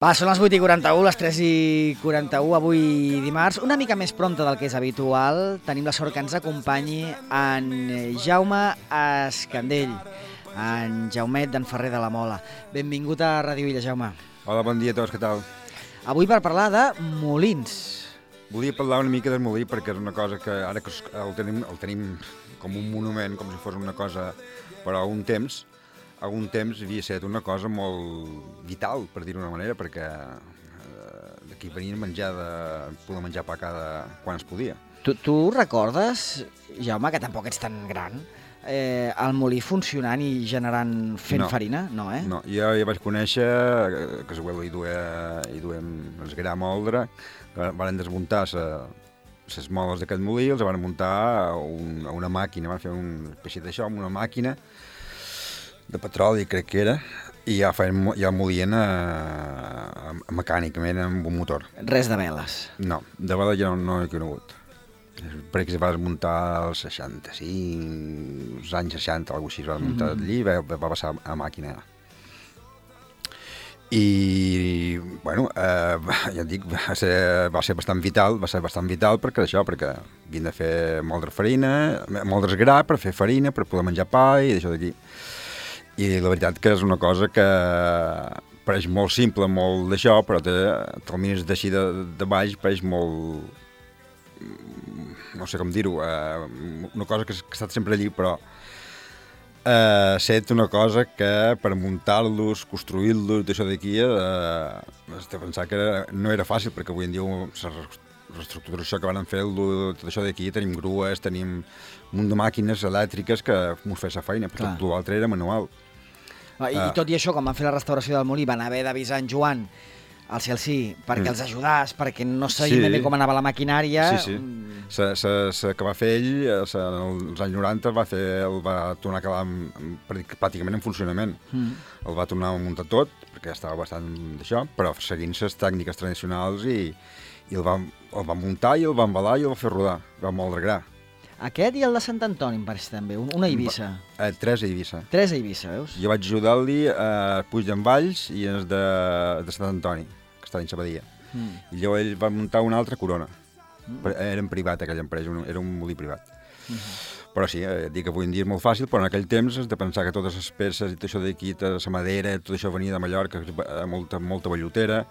Va, són les 8:41, les 3:41, avui dimarts, una mica més prompte del que és habitual. Tenim la sort que ens acompanyi en Jaume Escandell, en Jaumet d'en Ferrer de la Mola. Benvingut a Ràdio Illa, Jaume. Hola, bon dia a tots, què tal? Avui per parlar de molins. Volia parlar una mica del molí perquè és una cosa que ara que el tenim com un monument, com si fos una cosa, però a un temps havia estat una cosa molt vital, per dir-ho d'una manera, perquè d'aquí venien a poder menjar pa quan es podia. Tu recordes, Jaume, que tampoc ets tan gran, el molí funcionant i fent farina? No, eh? No, jo ja vaig conèixer, que hi duem el gra moldre, que van desmuntar les moles d'aquest molí, els van muntar a una màquina, van fer un peixet d'això, amb una màquina de petroli, crec que era, i ja molien mecànicament amb un motor. Res de veles? No, de veles ja no he conegut. Perquè es va desmuntar als 65, als anys 60, alguna cosa així, es va desmuntar allí i va passar a màquina. I, bueno, ja et dic, va ser bastant vital perquè havien de fer moldre farina, moldre gra per fer farina, per poder menjar pa i d'això d'aquí. I la veritat que és una cosa que pareix molt simple, molt d'això, però te'l mires d'així de baix, pareix molt, no sé com dir-ho, una cosa que ha estat sempre allí, però ha estat una cosa que per muntar-los, construir-los, d'això d'aquí, has de pensar que no era fàcil, perquè avui en dia la reestructuració que van fer tot això d'aquí, tenim grues, tenim un munt de màquines elèctriques que mos feien la feina, però tot l'altre era manual. I tot i això, quan van fer la restauració del molí, van haver d'avisar en Joan, al Celsi, perquè els ajudàs, perquè no sabien ben bé com anava la maquinària. Sí. Que va fer ell, als anys 90, el va tornar a quedar pràcticament en funcionament. El va tornar a muntar tot, perquè ja estava bastant d'això, però seguint les tècniques tradicionals i el va muntar i el va embalar i el va fer rodar, va moldre gra. Aquest i el de Sant Antoni, em pareix també, una a Eivissa. Tres a Eivissa. Tres a Eivissa, veus? Jo vaig ajudar-li a Puig d'en Valls i els de Sant Antoni, que està dins Sabadia. I llavors ell va muntar una altra Corona. Era en privat, aquella empresa, era un molí privat. Però sí, dic que avui en dia és molt fàcil, però en aquell temps has de pensar que totes les peces i tot això d'aquí, la madera, tot això venia de Mallorca, molta bellotera,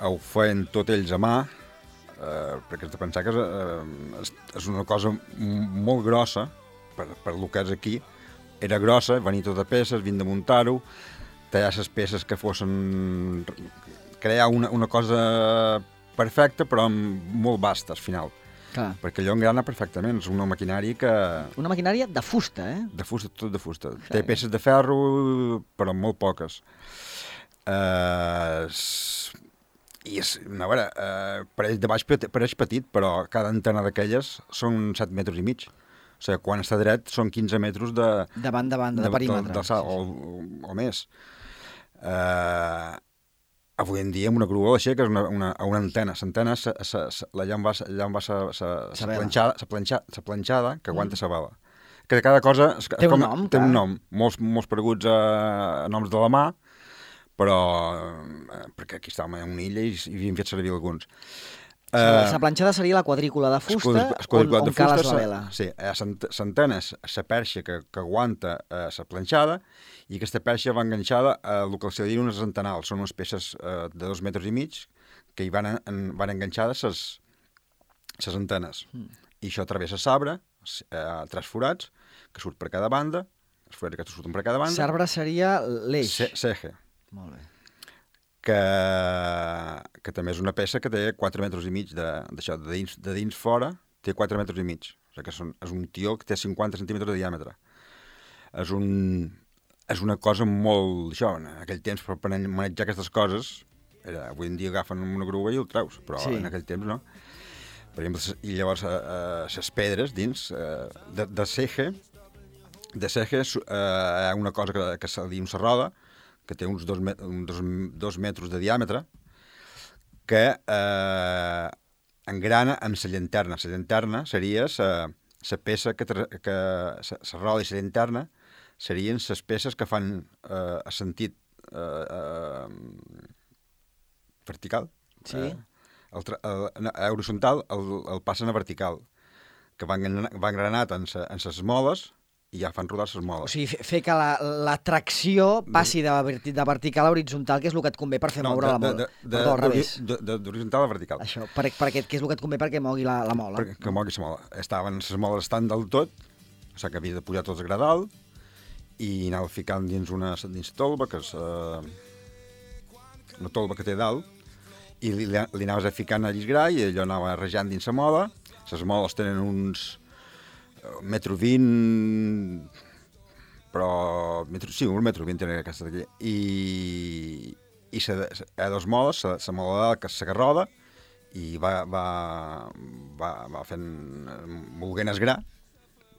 ho feien tot ells a mà, perquè has de pensar que és una cosa molt grossa per lo que és aquí. Era grossa, venia tota peces, havien de muntar-ho, tallar les peces que fossin... crear una cosa perfecta, però molt vasta, al final. Clar. Perquè allò engrana perfectament, és una maquinària que... Una maquinària de fusta, eh? De fusta, tot de fusta. Té peces de ferro, però molt poques. I a veure, pareix de baix pareix petit, però cada antena d'aquelles són 7 metres i mig. O sigui, quan està dret són 15 metres de perímetre. O més. Avui en dia, amb una grua l'aixeques una antena. L'antena, allà on va la planxada que aguanta la bala. Que cada cosa... Té un nom, té un nom. Molts pareguts a noms de la mà, però perquè aquí estàvem a una illa i havíem fet servir alguns. La planxada seria la quadrícula de fusta on cales la vela. Sí, l'antena és la perxa que aguanta la planxada i aquesta perxa va enganxada a el que se diuen unes antenals. Són unes peces de 2 metres i mig que hi van enganxades les antenes. I això travessa l'arbre, 3 forats, que surt per cada banda, els forats que surten per cada banda. L'arbre seria l'eix. L'eje. Molt bé. Que també és una peça que té 4 metres i mig d'això, de dins fora té 4 metres i mig. O sigui que és un tió que té 50 centímetres de diàmetre. És una cosa molt... Això, en aquell temps, per manejar aquestes coses, avui en dia agafen una grua i el treus, però en aquell temps no. Per exemple, i llavors les pedres dins de ceje, hi ha una cosa que se diu una roda, que té uns 2 metres de diàmetre, que engrana amb la llanterna. La llanterna seria la peça que la roda i la llanterna serien les peces que fan a sentit vertical. Sí. A horitzontal el passen a vertical, que va engranat en ses moles i ja fan rodar ses moles. O sigui, fer que la tracció passi de vertical a horitzontal, que és el que et convé per fer moure la mola. Perdó, al revés. D'horitzontal a vertical. Això, que és el que et convé perquè mogui la mola. Que mogui la mola. Ses moles estan del tot, o sigui que havia de pujar tots a gradal i anava ficant dins tolva, que és una tolva que té dalt, i li anaves ficant a llisgrar i allò anava rejant dins la mola. Les moles tenen uns 1,20 m, però... Sí, 1,20 m tenen aquesta d'aquí. I a dos moles, la mola dalt, que és la que roda, i va fent volguent esgrar,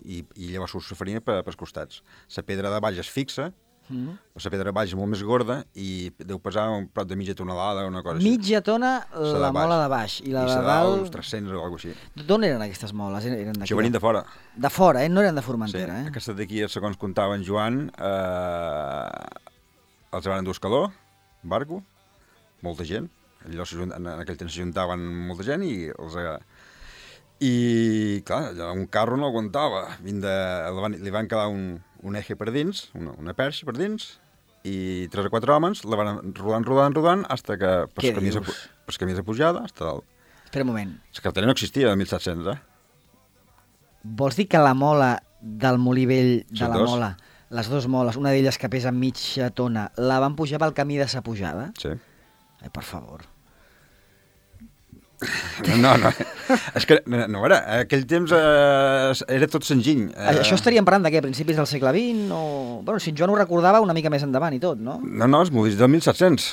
i llavors surt la farina pels costats. La pedra de baix es fixa, la pedra de baix és molt més gorda i deu pesar un prop de mitja tonelada o una cosa així. Mitja tona la mola de baix i la de dalt... uns 300 o alguna cosa així. D'on eren aquestes moles? Això venien de fora. De fora, no eren de Formentera, Sí, aquestes d'aquí, segons contava en Joan, els van endur escaló, barco, molta gent. En aquell temps s'ajuntaven molta gent i els... I, clar, un carro no aguantava. Li van quedar un eje per dins, una perxa per dins, i 3 o 4 homes la van rodant, hasta que pels camins de pujada, hasta dalt. Espera un moment. La carretera no existia el 1700, Vols dir que la mola del molí vell de la mola, les dues moles, una d'elles que pesa mitja tona, la van pujar pel camí de sa pujada? Sí. Ai, per favor. No. És que, no, aquell temps era tot senzill. Això estaríem parlant d'aquí, a principis del segle XX, o... Bueno, si en Joan ho recordava una mica més endavant i tot, no? No, els molins del 1700.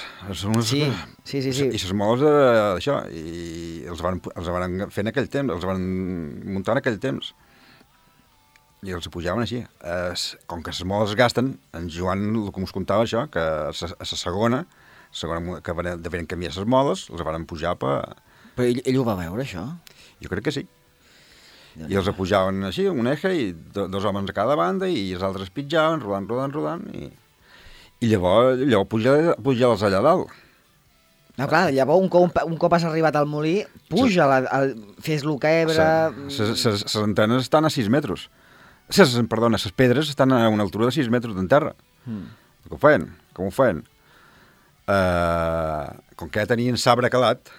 Sí. I les moles d'això, i els van fer en aquell temps, els van muntar en aquell temps. I els pujaven així. Com que les moles es gasten, en Joan, el que us contava això, que a la segona, que devien canviar les moles, els van pujar per... Però ell ho va veure, això? Jo crec que sí. I els pujaven així, un eje, i 2 homes a cada banda, i els altres pitjaven, rodant, i llavors pujar-los allà dalt. No, clar, llavors un cop has arribat al molí, puja, fes-lo cabre... Les antenes estan a 6 metres. Perdona, les pedres estan a una altura de 6 metres d'en terra. Com ho feien? Com que ja tenien sabre calat,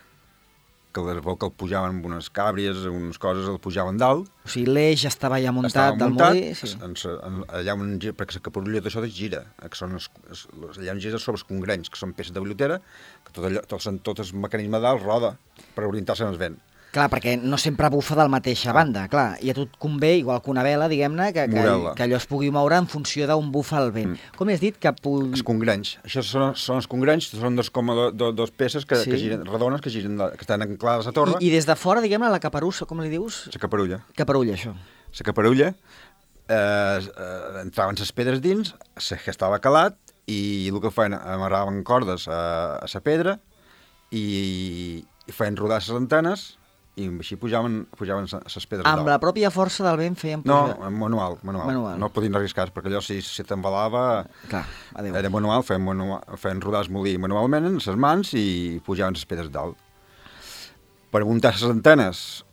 que el pujaven amb unes càbries, unes coses, el pujaven dalt. O sigui, l'eix estava ja muntat del molí. Sí. Allà on gira, perquè la caparulla d'això gira, allà on gira sobre els congrenys, que són peces de billotera, que tot el mecanisme dalt roda per orientar-se en el vent. Clar, perquè no sempre bufa de la mateixa banda, clar, i a tu et convé, igual que una vela, diguem-ne, que allò es pugui moure en funció d'on bufa el vent. Com has dit que... Els congrenys. Això són els congrenys, són dos peces que giren, redones, que estan anclades a la torre. I des de fora, diguem-ne, la caparussa, com li dius? La caparulla. Caparulla, això. La caparulla, entraven les pedres dins, que estava calat, i el que feien, amarraven cordes a la pedra i feien rodar les antenes, i així pujaven les pedres dalt. Amb la pròpia força del vent feien pujar? No, manual. No podien arriscar, perquè allò si t'embalava... Clar, adéu. Era manual, feien rodar el molí manualment en les mans i pujaven les pedres dalt. Per muntar les antenes,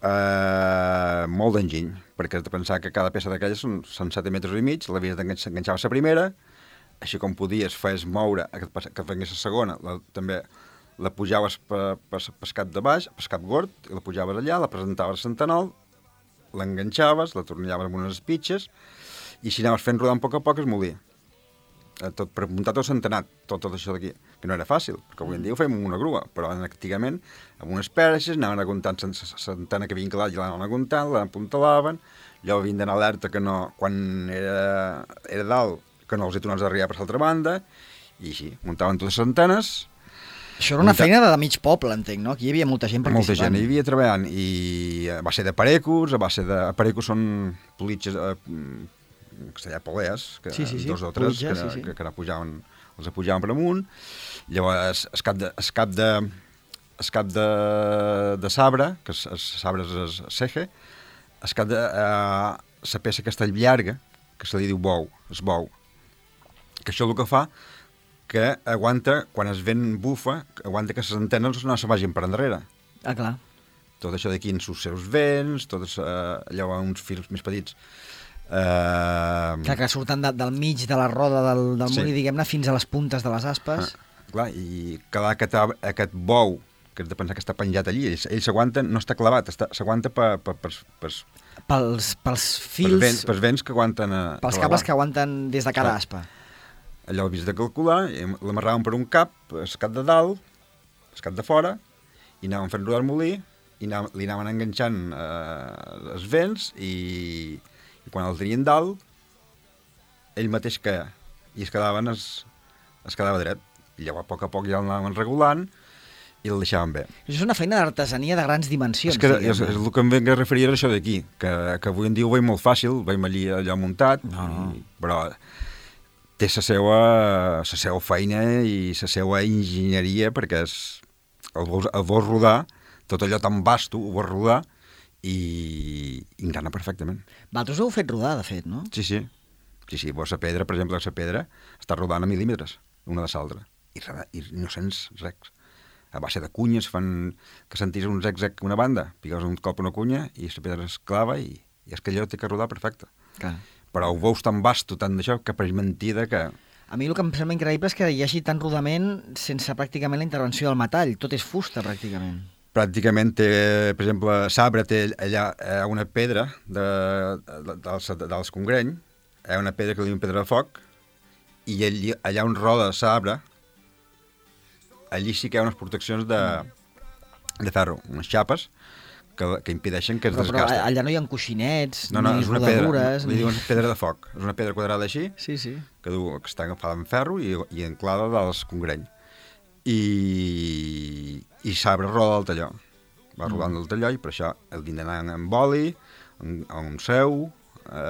molt d'enginy, perquè has de pensar que cada peça d'aquelles són 7 metres i mig, l'havies d'enganxar a la primera, així com podies, feies moure, que vengués la segona, també... La pujaves per cap de baix, per cap gord, i la pujaves allà, la presentaves a centenol, l'enganxaves, la tornellaves amb unes espitxes, i així anaves fent rodar a poc el molí. Per muntar tot centenat, tot això d'aquí, que no era fàcil, perquè avui en dia ho fem amb una grua, però antigament, amb unes perxes, anaven aguntant l'antena que havien calat i l'anaven aguntant, l'apuntalaven, allò havien d'anar alerta que no, quan era dalt, que no els hi tornaves a arribar per l'altra banda, i així, muntaven totes les antenes. Això era una feina de mig poble, entenc, no? Aquí hi havia molta gent participant. Molta gent hi havia treballant, i a base de parecos, parecos són politges, castellà polees, dos o tres, que els pujaven per amunt. Llavors, el cap de sabre, que el sabre és el ceje, el cap de la peça que està llarga, que se li diu bou, el bou, que això el que fa, que aguanta, quan el vent bufa, aguanta que les antenes no se vagin per endarrere. Ah, clar. Tot això d'aquí en els seus vents, tots allò uns fils més petits. Que surten del mig de la roda del molí, diguem-ne, fins a les puntes de les aspes. Clar, i clar, aquest bou, que has de pensar que està penjat allí, ell s'aguanta, no està clavat, s'aguanta pels fils... Pels vents que aguanten... Pels cables que aguanten des de cada aspa. Allò ho havies de calcular, l'amarraven per un cap, el cap de dalt, el cap de fora, i anaven fent rodar el molí, i li anaven enganxant els vents, i quan el tenien dalt, ell mateix caia, i es quedava dret. I llavors, a poc ja l'anaven regulant, i el deixaven bé. Això és una feina d'artesania de grans dimensions. És el que em venc a referir a això d'aquí, que avui en dia ho veiem molt fàcil, veiem allò muntat, però té la seva feina i la seva enginyeria, perquè el vols rodar, tot allò tan vasto, ho vols rodar, i engrana perfectament. Vosaltres ho heu fet rodar, de fet, no? Sí. Vos la pedra, per exemple, la pedra està rodant a mil·límetres, una de l'altra, i no sents res. A base de cunyes fan que sentis un zec-zec una banda, piques un cop una cunya i la pedra es clava i és que allò té que rodar perfecte. Clar. Però ho veus tan vasto, tant d'això, que pareix mentida que... A mi el que em sembla increïble és que hi hagi tant rodament sense pràcticament la intervenció del metall. Tot és fusta, pràcticament. Pràcticament té, per exemple, Sabre té allà una pedra dels Congreny, una pedra que li diuen pedra de foc, i allà on roda Sabre, allí sí que hi ha unes proteccions de ferro, unes xapes, que impedeixen que es desgasten. Però allà no hi ha coixinets, ni rodadures... És una pedra, li diuen pedra de foc. És una pedra quadrada així, sí. que està agafada en ferro i enclada dels Congreny. I Sabre roda del talló. Va rodant del talló i per això el din d'anar amb oli, amb seu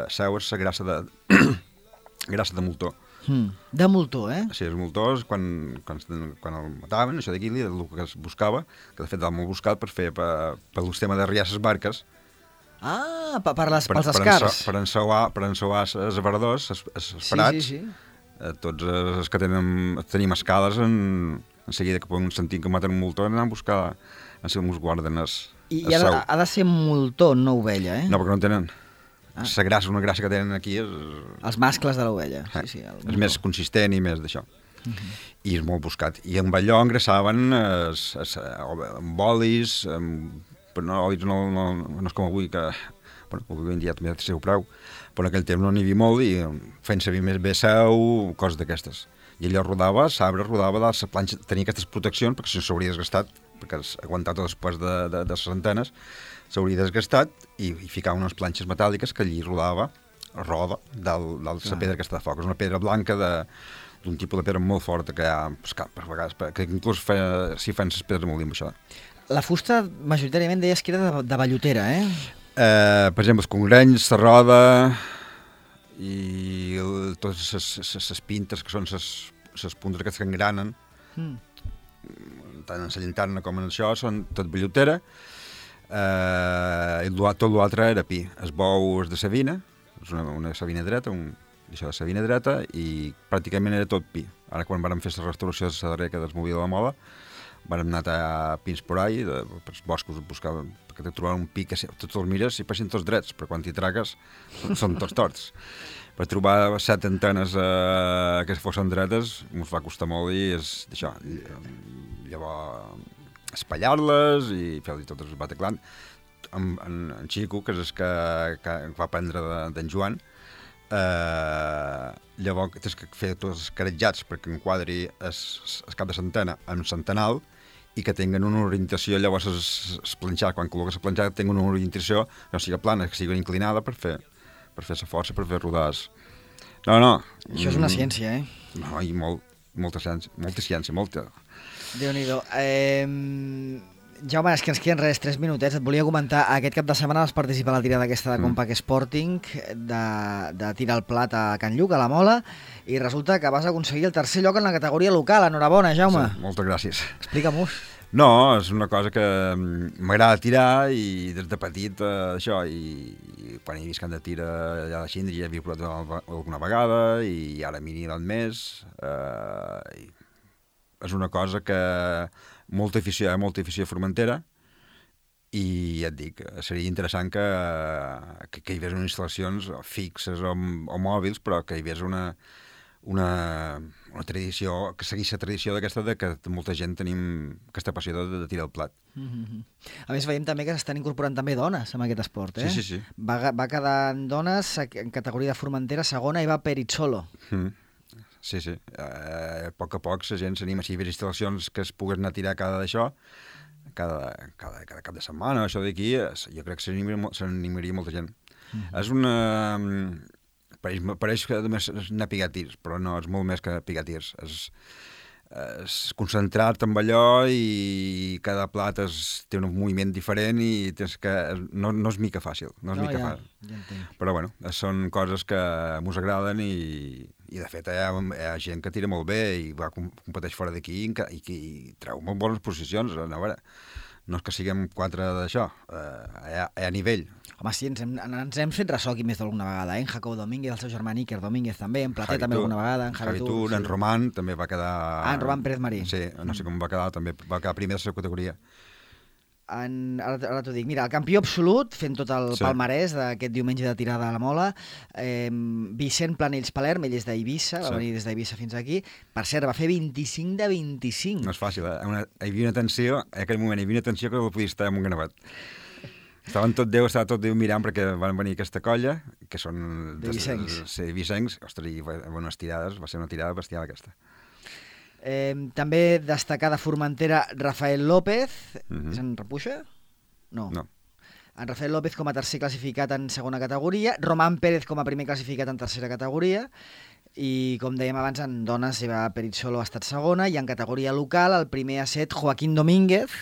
és la grassa de moltó. De moltó, eh? Sí, els moltors, quan el mataven, això d'aquí, el que es buscava, que de fet era molt buscat per fer per l'estema de riar les barques. Ah, pels escars. Per ensouar els aparadors, els parats. Sí. Tots els que tenim escales, en seguida que poden sentir que maten un moltó, anem a buscar en si ens guarden el seu. I ha de ser moltó, no ovella, eh? No, perquè no en tenen. La grassa, una grassa que tenen aquí és... Els mascles de l'ovella. Sí, és més consistent i més d'això. I és molt buscat. I amb allò engrassaven amb olis, però no, olis no és com avui, que avui en dia també té el seu preu, però en aquell temps no n'hi havia molt i feien servir més bé seu, coses d'aquestes. I allò rodava, Sabre rodava de la planxa, tenia aquestes proteccions perquè si no s'hauria desgastat, perquè aguantar tot després de les antenes, s'hauria desgastat i ficava unes planxes metàl·liques que allí roda de la pedra aquesta de foc. És una pedra blanca d'un tipus de pedra molt forta que hi ha per vegades, que inclús s'hi fan les pedres molt amb això. La fusta majoritàriament deies que era de vellutera, eh? Per exemple, els congrenys, la roda i totes les pintes que són les puntes aquestes que engranen, tant en la llanterna com en això, són tot vellutera. I tot l'altre era pi. El bou és de savina, és una savina dreta, això de savina dreta, i pràcticament era tot pi. Ara quan vam fer la restauració de la darrera del Molí de la Mola, vam anar a pins por ahí, pels boscos, buscaven, perquè trobaven un pi que tots els mires i passin tots drets, però quan t'hi tragues són tots torts. Per trobar 7 antenes que fossin dretes ens va costar molt i és d'això. Llavors espatllar-les i fer-li tot el bataclant. En Xico, que és el que va aprendre d'en Joan, llavors tens que fer tots els caretjats perquè enquadri el cap de l'antena amb l'antenal i que tinguin una orientació, llavors es planxar, quan col·loques el planxar, tinguin una orientació que no sigui plana, que sigui inclinada per fer la força, per fer rodars. No. Això és una ciència, eh? No, i molta ciència. Déu-n'hi-do. Jaume, és que ens queden 3 minutets. Et volia comentar, aquest cap de setmana vas participar a la tirada aquesta de Compact Sporting de tirar el plat a Can Lluc, a la Mola, i resulta que vas aconseguir el 3è lloc en la categoria local. Enhorabona, Jaume. Sí, moltes gràcies. Explica-m'ho. No, és una cosa que m'agrada tirar i des de petit això, i quan he vist que han de tirar allà a la Xindri ja havia provat alguna vegada i ara m'hi he anat més. I és una cosa que molta afició a Formentera i ja et dic, seria interessant que hi hagués unes instal·lacions fixes o mòbils, però que hi hagués una tradició, que seguís la tradició d'aquesta de que molta gent tenim aquesta passió de tirar el plat. A més, veiem també que s'estan incorporant també dones en aquest esport, eh? Sí. Va quedar en dones en categoria de Formentera segona i va Perizzolo. Sí. A poc la gent s'anima. Si hi havia instal·lacions que es pogués anar a tirar cada cap de setmana, això d'aquí, jo crec que s'animaria molta gent. És una... Pareix que només és anar a picar tirs, però no, és molt més que picar tirs. És concentrar-te amb allò i cada plat té un moviment diferent i tens que... No és mica fàcil, Ja entenc. Però bueno, són coses que mos agraden i de fet hi ha gent que tira molt bé i va competeix fora d'aquí i treu molt bones posicions. A veure, no és que siguem quatre d'això, hi ha nivell. Home, sí, ens hem fet ressò aquí més d'alguna vegada, eh? En Jacob Domínguez, el seu germà Iker Domínguez també, en Plater també alguna vegada, en Javi Tur, en Roman també va quedar... en Roman Pérez Marí. Sí, no sé com va quedar, també va quedar primer de la seva categoria. Ara t'ho dic, mira, el campió absolut, fent tot el palmarès d'aquest diumenge de tirada a la mola, Vicent Planells Palerm, ell és d'Eivissa, va venir des d'Eivissa fins aquí, per cert, va fer 25 de 25. No és fàcil, hi havia una tensió, en aquell moment hi havia una tensió que no podia estar en un ganabat. Estava tot Déu mirant perquè van venir aquesta colla, que són... De Vicencs. Sí, Vicencs. Ostres, i unes tirades, va ser una tirada bestial aquesta. També destacar de Formentera Rafael López, és en Repuixa? No. En Rafael López com a tercer classificat en segona categoria, Román Pérez com a primer classificat en tercera categoria, i com dèiem abans, en dones Eva Perizzolo ha estat segona, i en categoria local el primer ha set Joaquín Domínguez,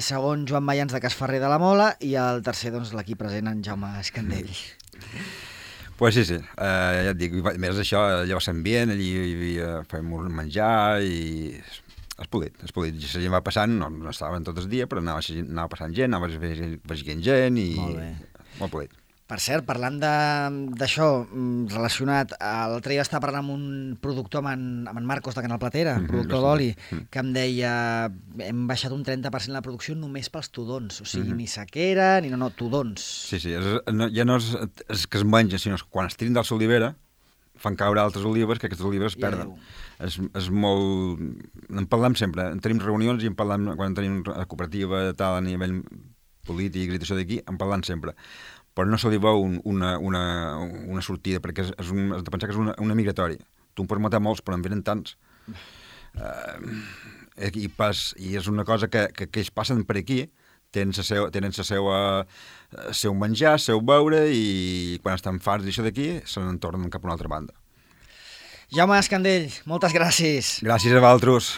segon Joan Mayans de Casferrer de la Mola i el tercer, doncs, l'equip present en Jaume Escandell. Pues sí, ja et dic, més això, allò va ser ambient, allí fèiem menjar i és polit. La gent va passant, no estaven tot el dia, però anava passant gent, anava veient gent i molt polit. Per cert, parlant d'això relacionat, l'altre dia estava parlant amb un productor, amb en Marcos de Canal Platera, productor d'oli, que em deia hem baixat un 30% la producció només pels tudons, o sigui, ni sequera, ni tudons. Sí, ja no és que es menja, sinó que quan es tiren de l'olivera fan caure altres olives, que aquestes olives es perden. És molt... En parlem sempre, en tenim reunions i en parlem quan tenim la cooperativa tal a nivell polític i això d'aquí, en parlem sempre. Però no se li veu una sortida, perquè has de pensar que és una migratori. Tu en pots matar molts, però en venen tants. I és una cosa que ells passen per aquí, tenen el seu menjar, el seu beure, i quan estan farts d'això d'aquí, se n'en tornen cap a una altra banda. Jaume Escandell, moltes gràcies. Gràcies a vosaltres.